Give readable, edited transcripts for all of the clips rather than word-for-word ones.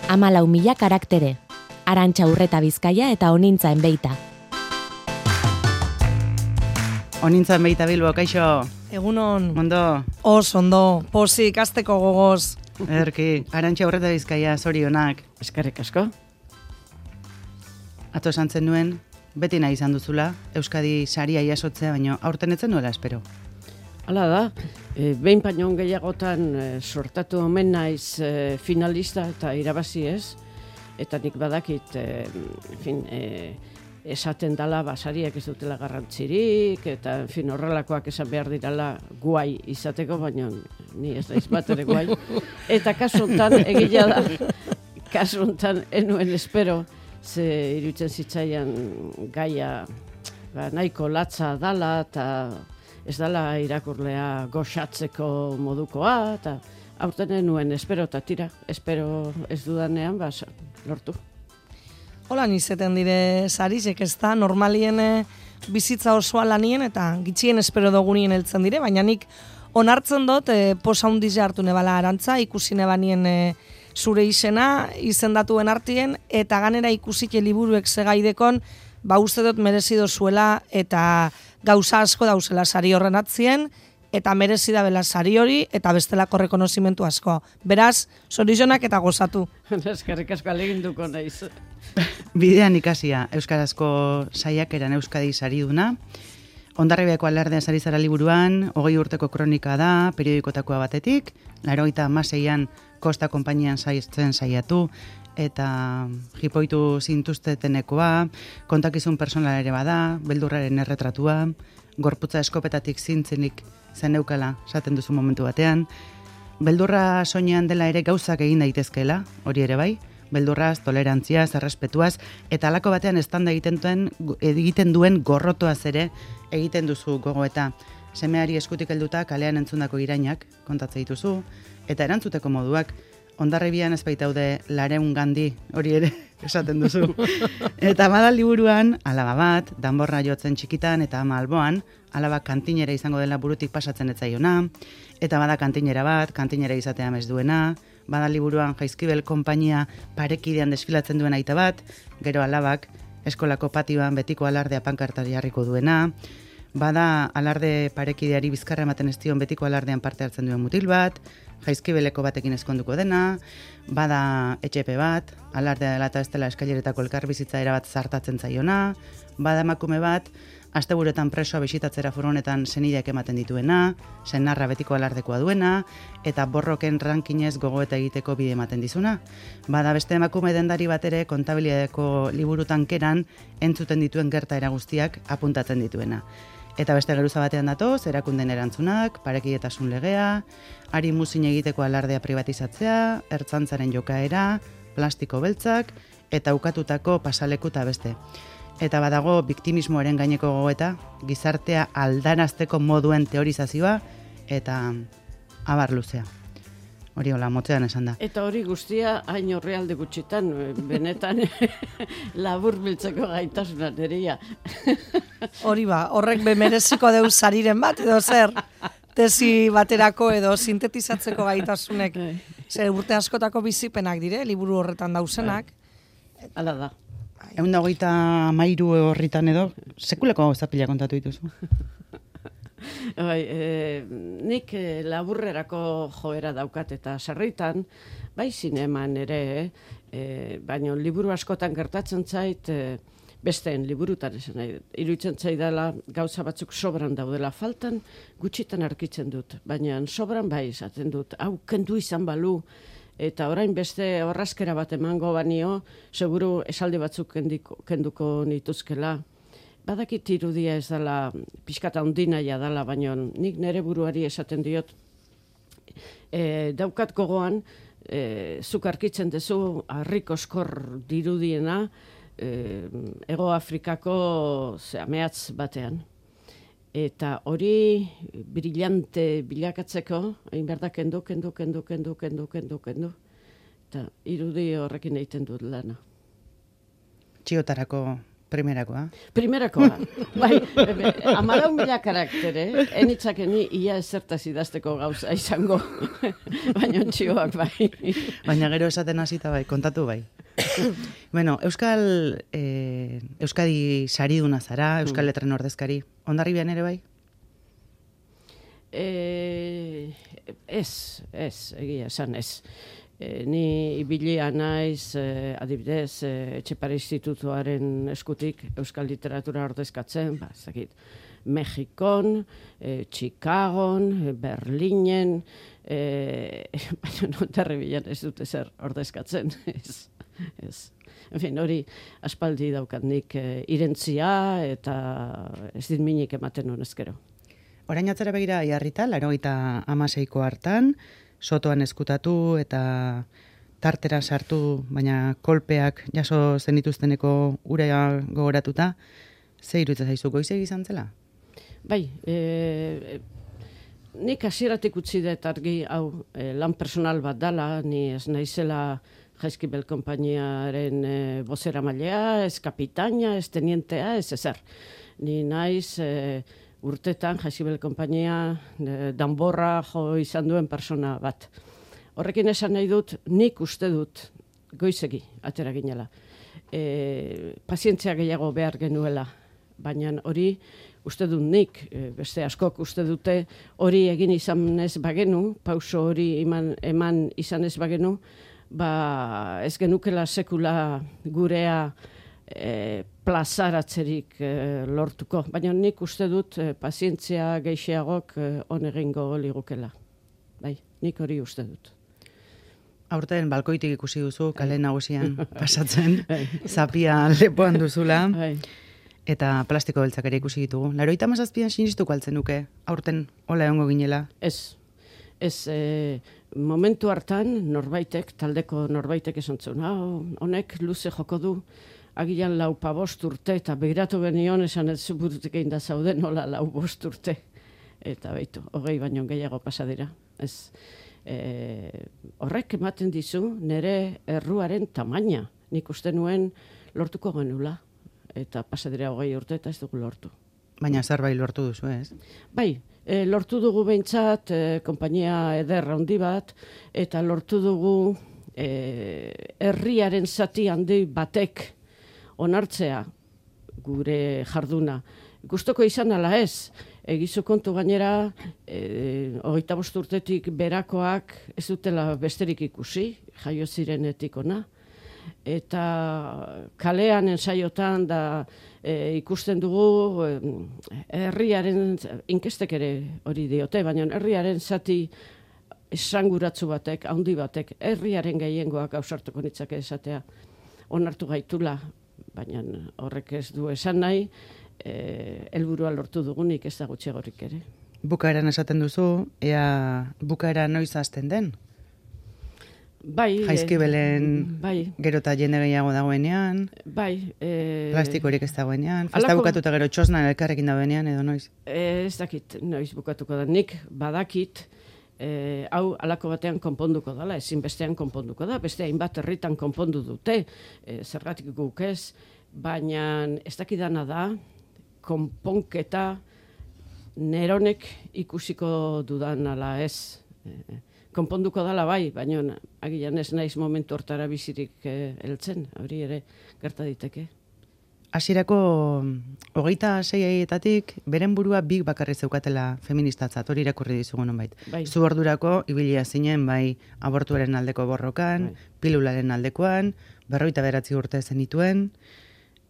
14.000 karaktere. Arantxa Urreta Bizkaia eta Onintza Enbeita. Onintza Enbeita Bilbo, kaixo? Egunon. Ondo? Ondo, pozik, ikasteko gogoz. Ederki, Arantxa Urreta Bizkaia, zorionak. Eskerrik asko. Atzo esan zen nuen, beti nahi izan duzula, Euskadi saria jasotzea, baino aurten etzen nuela espero. Hala da, behin baino gehiagotan sortatu omen naiz finalista eta irabazi ez, eta nik badakit, esaten dala basariak ez dutela garrantzirik, eta horrelakoak esan behar dirala guai izateko, baina ni ez daiz bat ere guai. Eta kasu honetan, egia da, kasu honetan enuen espero, ze iruditzen zitzaian gaia nahiko latza dala, eta ez dala irakurlea goxatzeko modukoa, eta aurten enuen espero, eta tira, espero ez dudanean, lortu. Holan izeten dire sarizek ez da, normalien bizitza osoa lanien eta gitxien espero dugunien heltzen dire, baina nik onartzen dut posa hundiz hartu nebala Arantza, ikusi nebanien zure izena, izendatuen artien, eta ganera ikusike liburuek segaidekon, uste dut merezi dozuela eta gauza asko dauzela sari horren atzien, eta merezi da bela sari hori, eta bestelako rekonozimentu asko. Beraz, zorizionak eta gozatu. Eskerrik asko aleginduko naiz. Bidean ikasia, Euskarazko saiakeran Euskadi sariduna. Hondarribiako alardea sari zara liburuan, 20 urteko kronika da, periodikotakoa batetik, 96an Kosta konpainian saizten saiatu, eta jipoitu zintuztetenekoa, kontakizun personal ere bada, beldurraren erretratua, gorputza eskopetatik zintzenik zeneukala, esaten duzu momentu batean. Beldurra soinean dela ere gauzak egin daitezkeela, hori ere bai, beldurraz, tolerantziaz, errespetuaz, eta halako batean estanda egiten duen gorrotoaz ere egiten duzu gogoeta. Semeari eskutik helduta kalean entzundako irainak kontatze dituzu, eta erantzuteko moduak, Hondarribian ez baitaude 200 gandi, hori ere esaten duzu. Eta bada liburuan, alaba bat, danborra jotzen txikitan eta ama alboan, alaba kantinera izango dela burutik pasatzen etzaiona, eta bada kantinera bat, kantinera izatea ez duena, bada liburuan Jaizkibel konpainia parekidean desfilatzen duen aita bat, gero alabak eskolako patioan betiko alardea pankarta jarriko duena, bada alarde parekideari bizkarra ematen ez dion betiko alardean parte hartzen duen mutil bat, Jaizkibeleko batekin ezkonduko dena, bada etxepe bat, alardea dela eta ez dela eskaileretako elkarbizitza erabat zartatzen zaiona, bada emakume bat, asteburuetan presoa bisitatzera furgonetan senideak ematen dituena, senarra betiko alardekoa duena, eta borroken rankinez gogoeta egiteko bide ematen dizuna. Bada beste emakume dendari bat ere kontabilidadeko liburu tankeran entzuten dituen gertaera guztiak apuntatzen dituena. Eta beste geruza batean datoz, erakunden erantzunak, parekidetasun legea, ari muzin egiteko alardea privatizatzea, ertzantzaren jokaera, plastiko beltzak, eta ukatutako pasaleku eta beste. Eta badago biktimismoaren gaineko gogoeta, gizartea aldarazteko moduen teorizazioa, eta abar luzea. Hori hola, motzean esan da. Eta hori guztia hain horrealde gutxitan, benetan labur biltzeko gaitasunan eria. Hori horrek bemereziko deuz sariren bat, edo zer, tesi baterako edo sintetizatzeko gaitasunek. Zer urte askotako bizipenak dire, liburu horretan dauzenak. Hala da. 123 horritan edo, sekulako zapila kontatu dituzu. Nik laburrerako joera daukat eta sarritan, bai zineman ere, baina liburu askotan gertatzen zait, besteen liburutan esan nahi. Iruditzen zaidala gauza batzuk sobran daudela faltan, gutxitan arkitzen dut, baina sobran bai izaten dut, hau kendu izan balu, eta orain beste horrazkera bat emango banio, seguru esaldi batzuk kenduko nituzkela. Badakit irudia ez dela, pixkata ondinaia dela, baina nik nere buruari esaten diot, daukat gogoan, zuk arkitzen duzu harrik oskor dirudiena, Ego Afrikako mehatz batean. Eta hori brillante bilakatzeko, hain behar da kendu. Eta irudi horrekin egiten dut lana. Txiotarako Primerakoa. Primerakoa. Bai, 14.000 karaktere, enitzakeni ia ezertaz idazteko gauza izango, baina txioak bai. Baina gero esaten hasita bai, kontatu bai. Bueno, Euskadi sariduna zara, Euskal Letren ordezkari. Hondarribian ere bai? Ez, egia esan ez. Ni ibilia naiz, adibidez, Etxepare Institutuaren eskutik Euskal Literatura ordezkatzen, ezakit, Mexikon, Chicagon, Berlinen, baina Hondarribian ez dute zer ordezkatzen, ez. En fin, hori aspaldi daukat nik irentzia eta ez dit minik ematen honezkero. Orain atzera begira jarrita, 96ko hartan, sotoan eskutatu eta tartera sartu, baina kolpeak jaso zenituzteneko urea gogoratuta, ze iruditzen zaizu goizegi izan zela? Bai, nik hasieratik utzi dut argi hau lan personal bat dala, ni ez naizela Jaizkibel konpainiaren bozeramailea, ez kapitaina, ez tenientea, ez ezer. Ni naiz urtetan Jaizkibel konpainia danborra jo izan duen persona bat. Horrekin esan nahi dut, nik uste dut goizegi atera ginela. Pazientzia gehiago behar genuela, baina hori uste dut nik, beste askok uste dute hori egin izan ez bagenu, pauso hori eman izan ez bagenu, ez genukela sekula gurea plazaratzerik lortuko. Baina nik uste dut pazientzia geixiagok on egingo ligukela. Bai, nik hori uste dut. Aurten balkoitik ikusi duzu, kale nagusian pasatzen, zapia lepoan duzula, eta plastiko beltzak ere ikusi ditugu. 97an sinistuko altzen nuke, aurten hola egongo ginela? Ez, momentu hartan norbaitek, taldeko norbaitek esan zuen, honek luze joko du, agian 4-5 urte, eta begiratu benion esan ez burutik egin da zauden, hola 4-5 urte. Eta baitu, 20 baino gehiago pasadira. Ez, horrek ematen dizu nire erruaren tamaina. Nik uste nuen lortuko genula. Eta pasadira 20 urte eta ez dugu lortu. Baina zerbait lortu duzu, ez? Bai, lortu dugu behintzat konpainia eder handi bat, eta lortu dugu herriaren zati handi batek onartzea gure jarduna. Gustoko izan ala ez, egizu kontu gainera, 25 urtetik berakoak ez dutela besterik ikusi, jaio zirenetik ona, eta kalean ensaiotan da ikusten dugu herriaren, inkestek ere hori diote, baina herriaren zati esanguratsu batek, handi batek, herriaren gehiengoak ausartuko nitzake esatea, onartu gaitula, baina horrek ez du esan nahi, helburua lortu dugunik ez da gutxiagorik ere. Bukaeran esaten duzu, ea bukaera noiz hasten den? Bai. Jaizkibelen gero eta jende gehiago dagoenean, plastikorik ez dagoenean, festa bukatuta gero txosnan elkarrekin dagoenean edo noiz? Ez dakit noiz bukatuko da, nik badakit, hau alako batean konponduko dela, ezin bestean konponduko da, beste hainbat herritan konpondu dute, zergatik guk ez, baina ez dakidana da, konponketa neronek ikusiko dudan ala ez. Konponduko dela bai, baina agian ez naiz momentu hortara bizirik heltzen, hori ere gerta diteke. Hasierako 26etatik beren burua big bakarri zeukatela feministatzat, hori irakurri dizugu nonbait. Zu ordurako ibilia zinen bai abortuaren aldeko borrokan, pilularen aldekoan, 59 urte zenituen,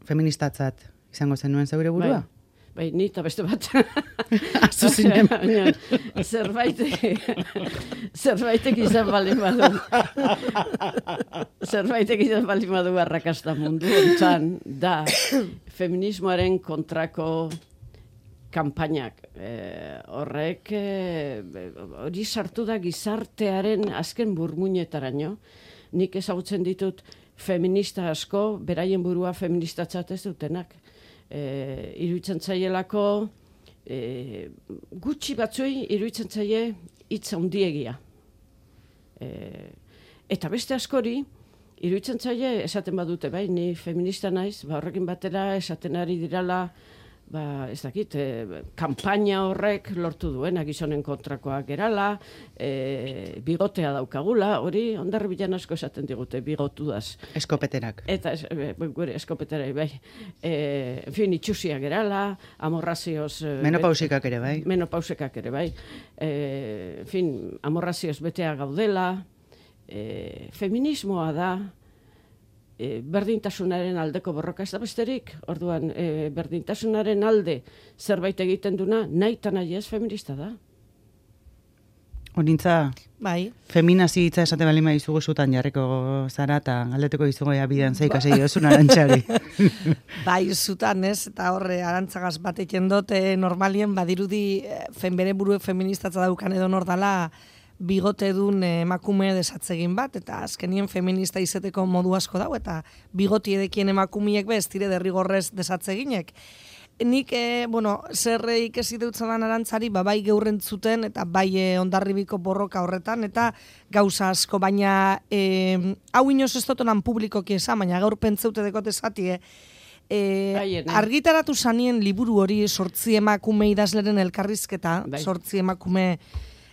feministatzat izango zenuen zeure burua? Bai, ni eta beste bat. Azu zinen. Zerbaitek izan baldin badu. Zerbaitek izan baldin badu arrakasta mundu hontan da feminismoaren kontrako kanpainak. Horrek hori sartu da gizartearen azken burmuinetaraino. Nik ezagutzen ditut feminista asko, beraien burua feministatzat ez dutenak. Iruditzen zaielako gutxi batzuei iruditzen zaie hitz handiegia. Eta beste askori iruditzen zaie esaten badute, bai, ni feminista naiz, horrekin batera esaten ari dirala, ez dakit, kanpaina horrek lortu duena gizonen kontrakoak gerala, bigotea daukagula, hori Hondarribian asko esaten digute, bigotudaz. Eskopeterak. Eta, gure eskopeterai, bai. En fin, itxusia gerala, amorrazioz... Menopausikak ere, bai. Menopausikak ere, bai. En fin, amorrazioz betea gaudela, feminismoa da, berdintasunaren aldeko borroka ez da besterik, orduan berdintasunaren alde zerbait egiten duna, nahi eta nahi ez feminista da. Honintza, Bai. feminazi hitza esate bali maizugu zutan jarriko zara, eta galdeteko izugu bidean zeikasei dozun Arantxari. Bai, zutan, ez? Eta horre, arantzagaz bateken dut, normalien badirudi bere burue feministatza daukan edo nordala, bigote dun emakume desatzegin bat, eta azkenien feminista izeteko modu asko dau, eta bigoti edekien emakumiek ez dire derrigorrez desatzeginek. Nik, zer ikesi deutzadan Arantzari, bai geurren zuten, eta bai Hondarribiko borroka horretan, eta gauza asko, baina hau inoz ez dotonan publikoki esan, baina gaur pentzeute dekote zati, argitaratu zanien liburu hori 8 emakume idazleren elkarrizketa, 8 emakume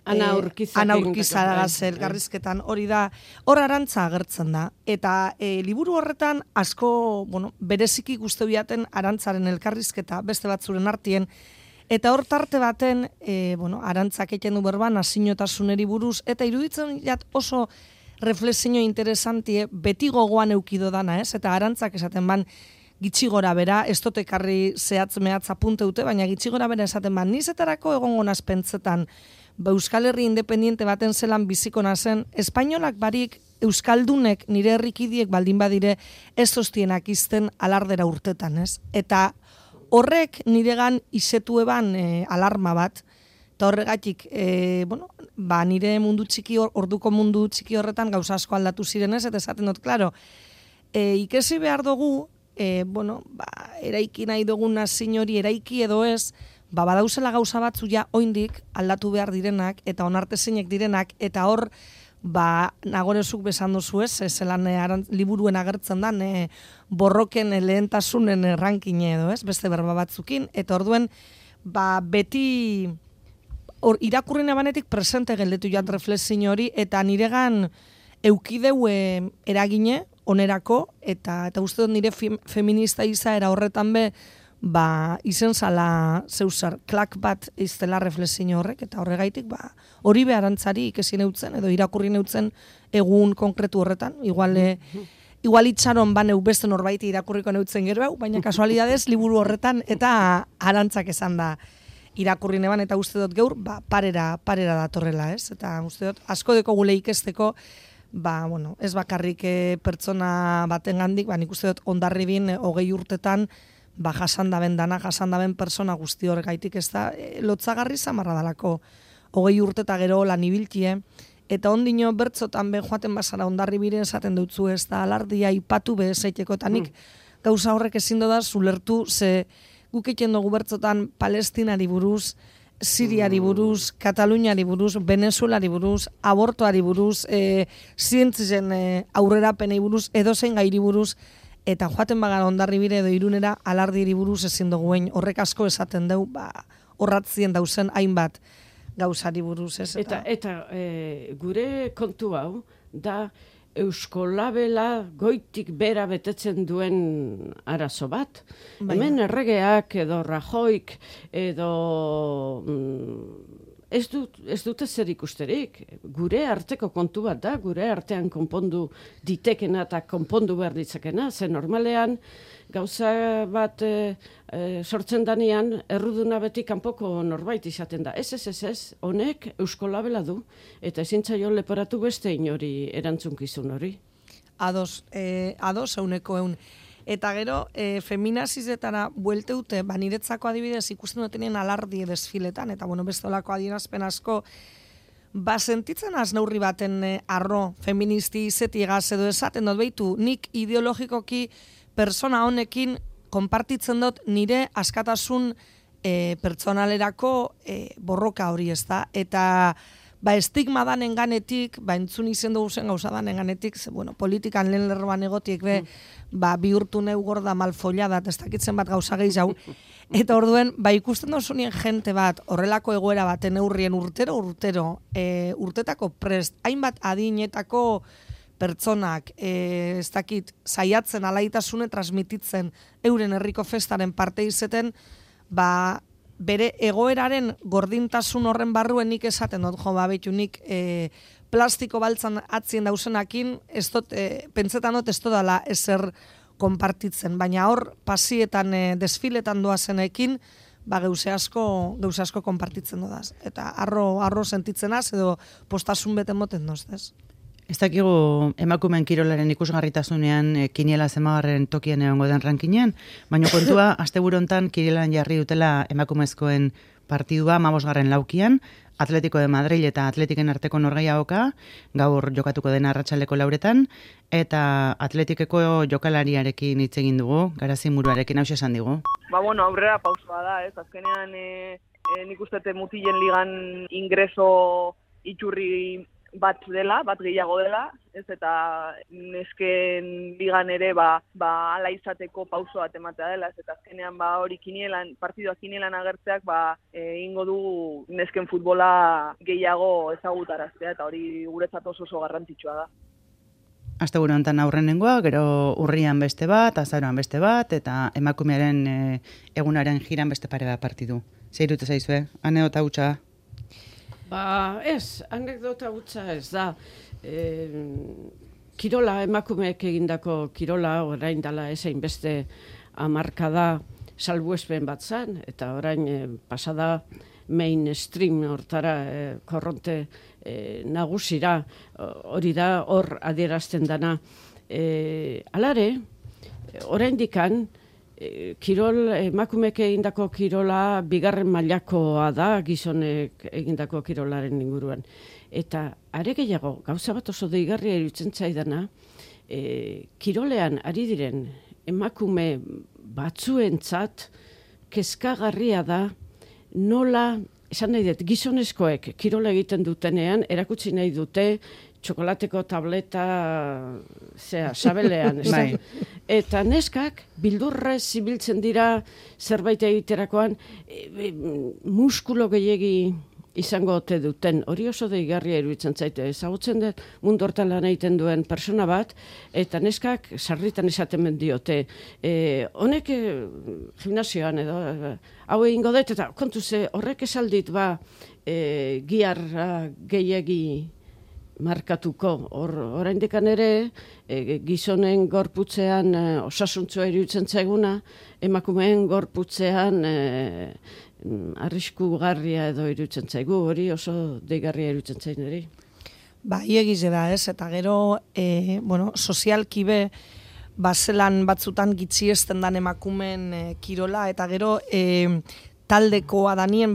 Ana Urkizagaz elkarrizketan hori da, hor Arantza agertzen da. Eta liburu horretan asko, bereziki guzti biaten Arantzaren elkarrizketa, beste batzuren artien, eta hor tarte baten, Arantzak egiten du berban, nazinotasuneri buruz, eta iruditzen jat oso reflexio interesantie, beti gogoan eukido dana, ez? Eta Arantzak esaten ban, gitxigora bera, ez dut ekarri zehatz mehatz apunteute, baina gitxigora bera esaten ban, nizetarako egongo naz pentsetan, Euskal Herri independiente baten zelan biziko nazen, espainolak barik Euskaldunek nire herrikidiek baldin badire ez zoztienak izten alardera urtetan, ez? Eta horrek niregan izetu eban alarma bat, eta horregatik, nire mundu txiki, orduko mundu txiki horretan gauza asko aldatu ziren ez, eta esaten dut, klaro, ikesi behar dugu, eraiki nahi dugun nazin hori eraiki edo ez, badauzela gauza batzu ja oindik aldatu behar direnak eta onartezinek direnak eta hor nagorezuk besan dozu ez, zelan liburuen agertzen da, borroken lehentasunen rankine edo ez, beste berba batzukin, eta orduen beti irakurrina banetik presente geldetu jat reflexio hori eta niregan eukideu eragine onerako eta uste dut nire feminista izaera horretan izen zala zeusar, klak bat iztela reflexio horrek, eta horregaitik hori Arantzari ikesi neutzen, edo irakurri neutzen egun konkretu horretan, igual itxaron baneu beste norbaiti irakurriko neutzen gero, baina kasualidadez liburu horretan, eta Arantzak esan da irakurri neban, eta uste dut geur, parera datorrela, ez? Eta uste dut, asko deko gule ikesteko, ez bakarrik pertsona baten gandik, nik uste dut Hondarribin 20 urtetan, jasandaben persona guzti horregaitik ez da, lotzagarri zamarra dalako 20 urte eta gero lan ibiltie, eta ondino bertzotan joaten bazara Hondarribire esaten dutzu ez da, alardia ipatu bezeiteko, eta nik gauza horrek ezin da zulertu, ze guk egiten dugu bertzotan Palestinari buruz, Siriari buruz, Kataluniari buruz, Venezuelari buruz, abortoari buruz, zientzien aurrerapenei buruz, edozein gairi buruz, eta joaten bagara Hondarribire edo Irunera alardiri buruz ezin duguen horrek asko esaten deu, horratzien dauzen hainbat gauzari buruz. Ez, eta gure kontu hau da Euskolabela goitik bera betetzen duen arazo bat. Hemen erregeak edo Rajoik edo ez dute zer ikusterik. Gure arteko kontu bat da, gure artean konpondu ditekena eta konpondu behar ditzakena, ze normalean gauza bat sortzen danean erruduna beti kanpoko norbait izaten da. Ez, honek Euskolabela du, eta ezin zaio leporatu beste inori erantzunkizun hori. Ados, 100%. Eta gero, feminazizetara buelteute, niretzako adibidez ikusten dutenien alardie desfiletan, eta bestolako adierazpen asko, sentitzen az neurri baten arro feministi izetigaz edo esaten dut behitu, nik ideologikoki persona honekin konpartitzen dut nire askatasun pertsonalerako borroka hori ez da, eta estigma danen ganetik, entzun izen dugu zen gauza danen ganetik, politikan lehen lerroan egotiek bihurtu neu gorda malfollada, ez dakitzen bat gauza gehiago, eta orduen, ikusten dauzunien jente bat, horrelako egoera baten eurrien urtero, urtetako prest, hainbat adinetako pertsonak, ez dakit, saiatzen alaitasune transmititzen euren herriko festaren parte izeten, bere egoeraren gordintasun horren barruen nik esaten dut, behitu nik plastiko baltzan atzien dauzenakin, pentsetan dut ez dela ezer konpartitzen, baina hor pasietan, desfiletan doazenekin, gauze asko konpartitzen dudaz. Eta arro sentitzenaz edo postasun beten moten doztez. Ez dakigu emakumeen kirolaren ikusgarritasunean kiniela zemagarren tokian egongo den rankinean, baina kontua, asteburu hontan kinielan jarri dutela emakumezkoen partidua 15. laukian, Atletico de Madrid eta Atletiken arteko norgehiagoka, gaur jokatuko den arratsaldeko 4etan, eta Atletikeko jokalariarekin hitz egin dugu, Garazi Muruarekin hauxe esan digu. Aurrera pausoa da, ez? Azkenean nik uste mutilen ligan ingreso iturri bat gehiago dela, ez, eta nesken ligan ere ala izateko pauso bat ematea dela, ez, eta azkenean hori partiduak kinielan agertzeak egingo du nesken futbola gehiago ezagutaraztea, eta hori guretzat oso garrantzitsua da. Asteburu honetan aurrenengoa, gero urrian beste bat, azaroan beste bat, eta emakumearen egunaren jiran beste pare bat partidu. Zeirute zaizue, anekdota hutsa? Ez, anekdota hutsa ez da. Kirola, emakumeek egindako kirola, orain dela ezein beste hamarkada salbuespen bat zan, eta orain pasada mainstream hortara korronte nagusira, hori da hor adierazten dana. Alare, oraindikan, emakumeek egindako kirola bigarren mailakoa da gizonek egindako kirolaren inguruan. Eta are gehiago, gauza bat oso deigarria iruditzen zaidana, kirolean ari diren emakume batzuentzat kezkagarria da nola, esan nahi dut, gizonezkoek kirola egiten dutenean erakutsi nahi dute txokolateko tableta sabelean. Eta neskak bildurrez ibiltzen dira zerbait egiterakoan muskulo gehiegi izango ote duten. Hori oso deigarria iruditzen zaite. Ezagutzen dut mundu hortan lan egiten duen persona bat, eta neskak sarritan esaten diote. Honek gimnasioan edo hau egingo dut, eta kontu ze horrek esaldit giarra gehiegi markatuko. Oraindikan ere, gizonen gorputzean osasuntsua iruditzen zaiguna, emakumeen gorputzean arriskugarria edo iruditzen zaigu, hori oso deigarria iruditzen zain ere. Egize da, ez, eta gero, sozialki be, zelan batzutan gitxiesten dan emakumeen kirola, eta gero, taldekoa danien,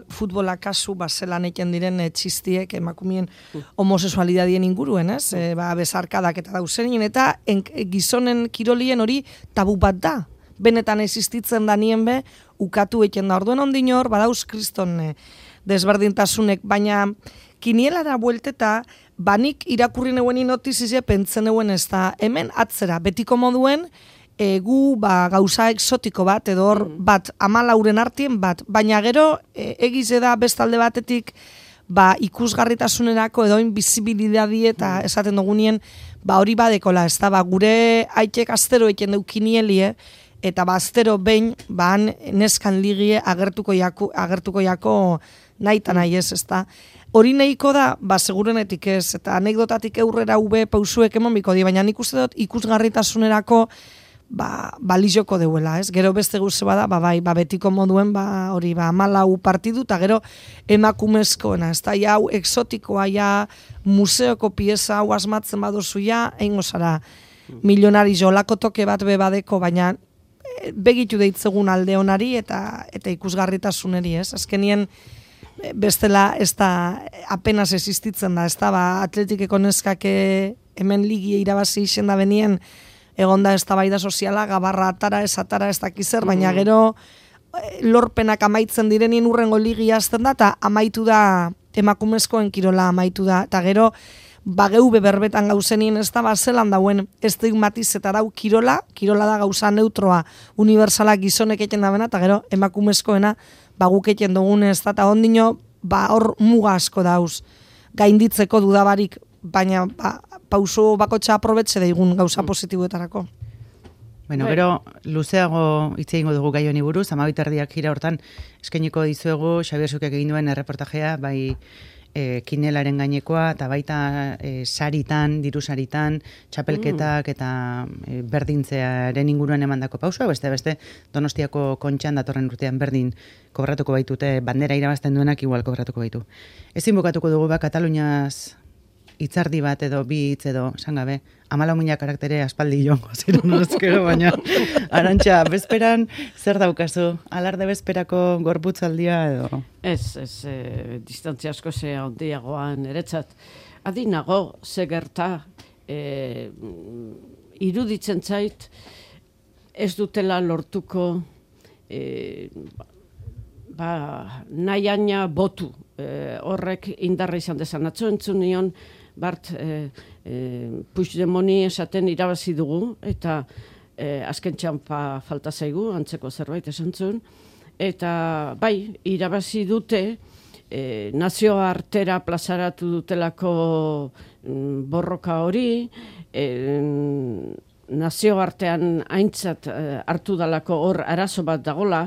futbola kasu, zelan eken diren txistiek emakumien homosexualidadien inguruen, ez? Bezarkadak eta dauzenien, eta gizonen kirolien hori tabu bat da. Benetan existitzen danien be, ukatu eken da. Orduen ondino hor, badauz kriston desberdintasunek, baina kinielara buelteta, banik irakurri neuen inotizize pentzen neuen ez da, hemen atzera, betiko moduen, gu gauza exotiko bat, edo hor bat, 14 artien bat, baina gero egize da bestalde batetik ikusgarritasunerako edo bizibilidadi eta esaten dugunien hori badekola, ez da, gure aitek astero eken deu kinielie, eta astero behin neskan ligie agertuko jako nahi eta nahi ez da. Hori nahiko da, segurenetik ez, eta anekdotatik eurrera pausuek emon biko di, baina nik uste dut ikusgarritasunerako balizoko deuela, ez? Gero beste guze bada, betiko moduen, hori, 14 partidu, eta gero emakumezkoena, ez da, hau exotikoa, museoko pieza hau asmatzen baduzu, eingo zara milionari jolako toke bat bebadeko, baina begitu deitzegun alde honari eta ikusgarritasuneri, ez? Azkenien, bestela, ez da, apenas existitzen da, ez da, atletikeko neskake hemen ligie irabazi izen da benien, egonda ez da baida soziala, gabarra atara, ez dakizer, baina gero lorpenak amaitzen direnien urrengo ligia azten da, eta amaitu da emakumezkoen kirola amaitu da, eta gero, geube berbetan gauzenien ez da, zelan dauen estigmatiz eta dau kirola da gauza neutroa, unibersalak gizonek eken dabena, eta gero emakumezkoena guk eken dugun ez da, eta ondino, hor muga asko dauz, gainditzeko dudabarik, baina pauso bakotxa aprobetxe daigun gauza positiboetarako. Bueno, gero, luzeago hitz egingo dugu gai honi buruz, 12:30 jira hortan eskainiko dizuegu Xabier Zukek egin duen erreportajea, bai kinelaren gainekoa, eta baita saritan, diru saritan, txapelketak eta berdintzearen inguruan emandako pausua, beste Donostiako Kontxan datorren urtean berdin kobratuko baitute, bandera irabazten duenak igual kobratuko baitu. Ezin bukatuko dugu Kataluniaz hitzardi bat edo bi hitz edo, esan gabe, 14.000 karaktere aspaldi joango ziren oskero, baina Arantxa, bezperan zer daukazu? Alarde bezperako gorputzaldia edo? Ez, distantzia asko ze handiagoan eretzat. Adinago, ze gerta, iruditzen zait, ez dutela lortuko nahiaina botu. Horrek indarra izan dezan. Atzo entzun nion, Bart Puigdemoni esaten irabazi dugu, eta azken txampa falta zaigu, antzeko zerbait esan zuen, eta bai, irabazi dute, nazioartera plazaratu dutelako borroka hori, nazioartean aintzat hartu dalako hor arazo bat dagola,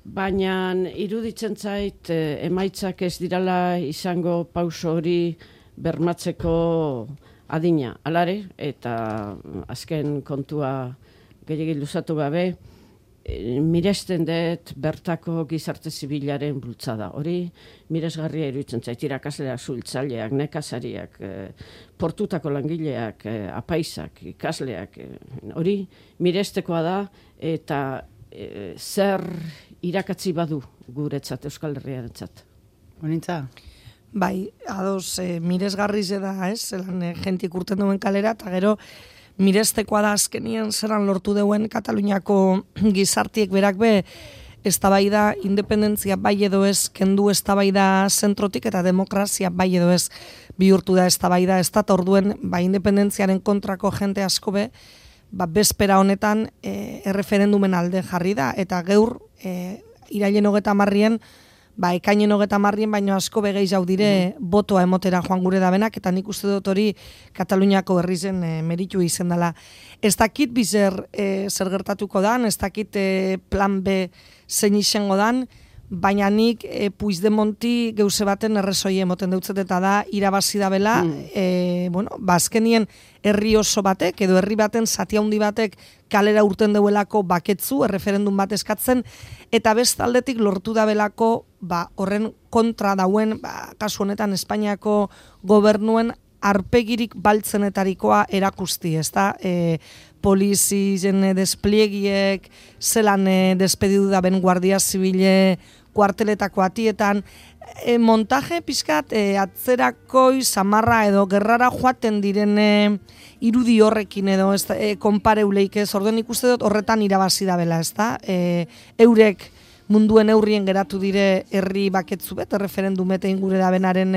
baina iruditzen zait emaitzak ez dirala izango pauso hori bermatzeko adina. Alare, eta azken kontua gehiagin luzatu gabe, miresten dut bertako gizarte zibilaren bultzada. Hori miresgarria iruditzen zait, irakasleak, suhiltzaileak, nekazariak, portutako langileak, apaisak, ikasleak, hori mirestekoa da, eta zer irakatzi badu guretzat, Euskal Herriarentzat. Honintza? Bai, ados, miresgarriz da, zelan jentik urten duen kalera, eta gero mirestekoa da azkenien zeran lortu deuen Kataluniako gizartiek berak eztabaida independentzia bai edo ez kendu eztabaida zentrotik eta demokrazia bai edo ez bihurtu da eztabaida ez da, orduen independentziaren kontrako jente asko bezpera honetan erreferendumen alde jarri da, eta gaur irailen 30 ekainen 30 baino asko begei jau dire botoa emotera joan gure dabenak, eta nik uste dut hori Kataluniako herrizen meritu izen dela. Ez dakit bizer zer gertatuko dan, ez dakit plan B zein izango dan, baina nik Puigdemonti geuse baten errezoi emoten deutzet, eta da irabazi da bela, azkenien herri oso batek, edo herri baten zati handi batek kalera urten deuelako baketzu, erreferendum bat eskatzen, eta bestaldetik lortu da belako horren kontra dauen, kasu honetan Espainiako gobernuen arpegirik baltzenetarikoa erakusti, ez da? Polizien despliegiek, zelan despedidu da ben Guardia Zibile kuarteletako atietan, montaje pizkat atzerakoi, samarra edo gerrara joaten diren irudi horrekin edo konpareuleik ez, orduan ikuste dut horretan irabazi da bela, ez da? Eurek munduen eurrien geratu dire herri baketzu bet, erreferendumete ingure da benaren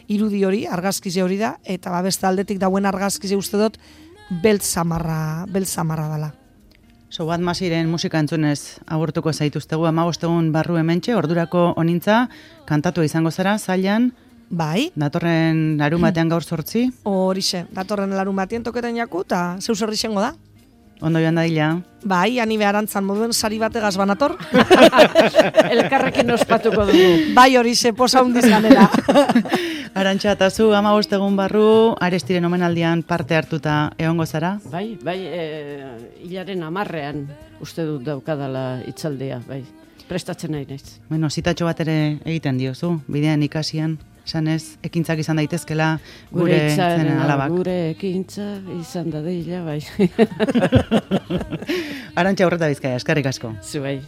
irudi hori, argazkize hori da, eta beste aldetik dauen argazkize uste dut beltz samarra dela. So bat masiren musika entzunez agurtuko zaituztegu 15 egun barru hementxe, ordurako honintza kantatu izango zara, zailan. Bai. Datorren larumatean gaur 8. Horixe, datorren larumatean toketan jaku, eta zeu zerri izango da. Ondo joan dadila. Bai, ani beharantzan moduen sari bategaz banator. Elkarrekin ospatuko dugu. Bai, horixe, posa hundiz ganera. Arantxa, eta zu 15 egun barru, Arestiren omenaldian parte hartuta egongo zara? Bai, hilaren 10ean uste dut daukadala hitzaldea, bai. Prestatzen nahi naiz. Bueno, zitatxo bat ere egiten diozu, bidean ikasian, esanez, ekintzak izan daitezkela gure zenen alabak. Gure ekintza izan dadila, bai. Arantxa Urreta Bizkaia, eskerrik asko. Zu bai.